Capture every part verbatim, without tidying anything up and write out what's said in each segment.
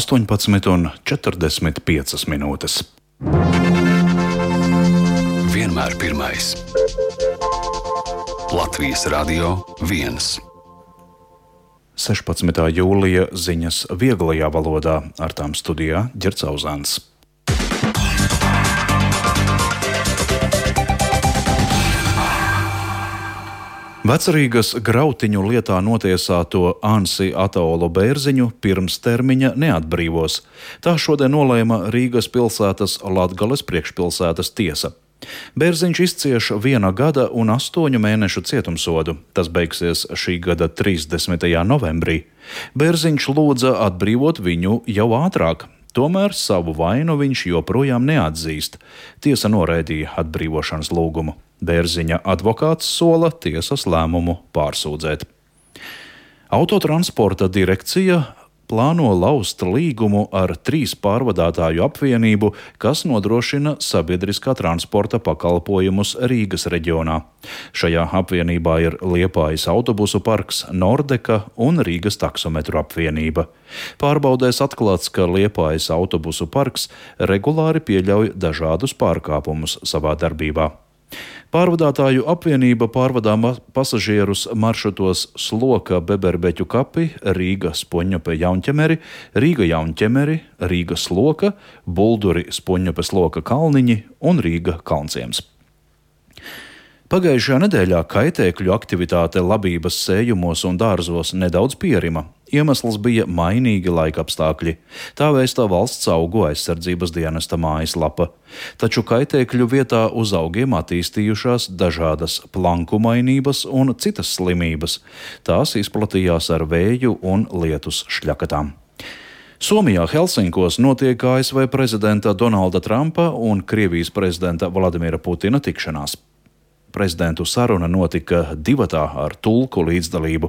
astoņpadsmit un četrdesmit piecas minūtes. Vienmēr pirmais. Latvijas Radio viens. sešpadsmitā jūlija ziņas vieglajā valodā, ar tām studijā Ģerts Auzāns. Vecrīgas Grautiņu lietā notiesāto Ansi Ataolu Bērziņu pirms termiņa neatbrīvos. Tā šodien nolēma Rīgas pilsētas Latgales priekšpilsētas tiesa. Bērziņš izcieš viena gada un astoņu mēnešu cietumsodu. Tas beigsies šī gada trīsdesmitajā novembrī. Bērziņš lūdza atbrīvot viņu jau ātrāk. Tomēr savu vainu viņš joprojām neatzīst. Tiesa noraidīja atbrīvošanas lūgumu. Bērziņa advokāts sola tiesas lēmumu pārsūdzēt. Autotransporta direkcija plāno laust līgumu ar trīs pārvadātāju apvienību, kas nodrošina sabiedriskā transporta pakalpojumus Rīgas reģionā. Šajā apvienībā ir Liepājas autobusu parks, Nordeka un Rīgas taksometru apvienība. Pārbaudēs atklāts, ka Liepājas autobusu parks regulāri pieļauj dažādus pārkāpumus savā darbībā. Pārvadātāju apvienība pārvadā pasažierus maršrutos Sloka Beberbeķu kapi, Rīga Spoņņope Jaunķemeri, Rīga Jaunķemeri, Rīga Sloka, Bulduri Spoņņope Sloka Kalniņi un Rīga Kalnciems. Pagājušajā nedēļā kaitēkļu aktivitāte labības sējumos un dārzos nedaudz pierima. Iemesls bija mainīgi laikapstākļi. Tā vēstā Valsts augu aizsardzības dienesta mājaslapa. Taču kaitēkļu vietā uz augiem attīstījušās dažādas plankumainības un citas slimības. Tās izplatījās ar vēju un lietus šļakatām. Somijā Helsinkos notiek A S V prezidenta Donalda Trumpa un Krievijas prezidenta Vladimira Putina tikšanās. Prezidentu saruna notika divatā ar tulku līdzdalību.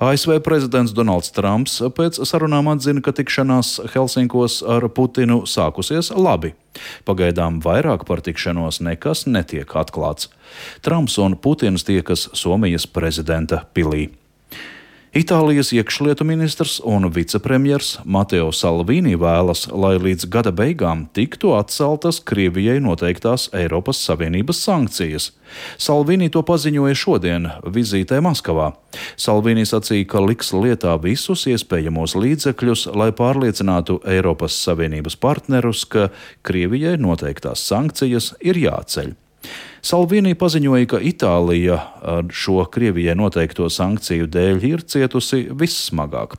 A S V prezidents Donalds Trumps pēc sarunām atzina, ka tikšanās Helsinkos ar Putinu sākusies labi. Pagaidām vairāk par tikšanos nekas netiek atklāts. Trumps un Putins tiekas Somijas prezidenta pilī. Itālijas iekšlietu ministrs un vicepremjers Mateo Salvini vēlas, lai līdz gada beigām tiktu atceltas Krievijai noteiktās Eiropas Savienības sankcijas. Salvini to paziņoja šodien vizītē Maskavā. Salvini sacīja, ka liks lietā visus iespējamos līdzekļus, lai pārliecinātu Eiropas Savienības partnerus, ka Krievijai noteiktās sankcijas ir jāceļ. Salvini paziņoja, ka Itālija ar šo Krievijai noteikto sankciju dēļ ir cietusi vissmagāk.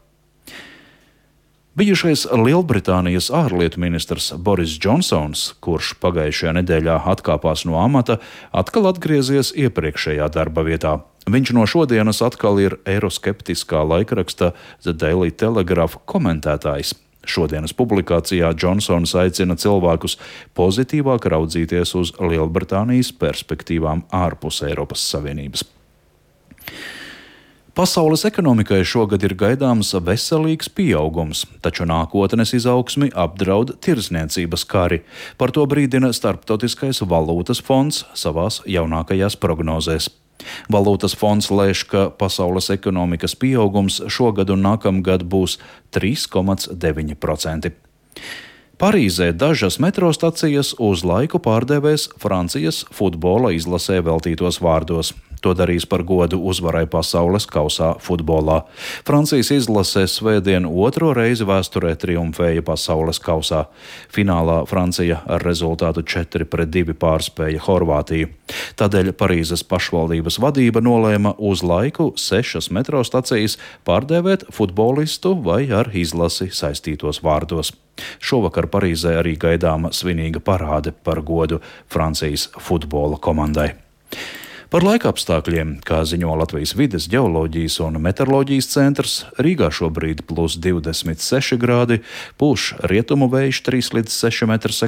Bijušais Lielbritānijas ārlietu ministrs Boris Džonsons, kurš pagājušajā nedēļā atkāpās no amata, atkal atgriezies iepriekšējā darba vietā. Viņš no šodienas atkal ir eiroskeptiskā laikraksta The Daily Telegraph komentētājs. Šodienas publikācijā Džonsons aicina cilvēkus pozitīvāk raudzīties uz Lielbritānijas perspektīvām ārpus Eiropas Savienības. Pasaules ekonomikai šogad ir gaidāms veselīgs pieaugums, taču nākotnes izaugsmi apdraud tirdzniecības kari. Par to brīdina Starptautiskais valūtas fonds savās jaunākajās prognozēs. Valūtas fonds lēš, ka pasaules ekonomikas pieaugums šogad un nākamgad būs trīs komats deviņi procenti. Parīzē dažas metro stacijas uz laiku pārdevēs Francijas futbola izlasē veltītos vārdos. To darīs par godu uzvarai pasaules kausā futbolā. Francijas izlase svētdien otro reizi vēsturē triumfēja pasaules kausā. Finālā Francija ar rezultātu četri pret divi pārspēja Horvātiju. Tādēļ Parīzes pašvaldības vadība nolēma uz laiku sešas metro stacijas pārdēvēt futbolistu vai ar izlasi saistītos vārdos. Šovakar Parīzē arī gaidāma svinīga parāde par godu Francijas futbola komandai. Par laikapstākļiem, kā ziņo Latvijas vides, ģeoloģijas un meteoroloģijas centrs, Rīgā šobrīd plus divdesmit seši grādi, pūš rietumu vējš trīs līdz seši metri sekundē.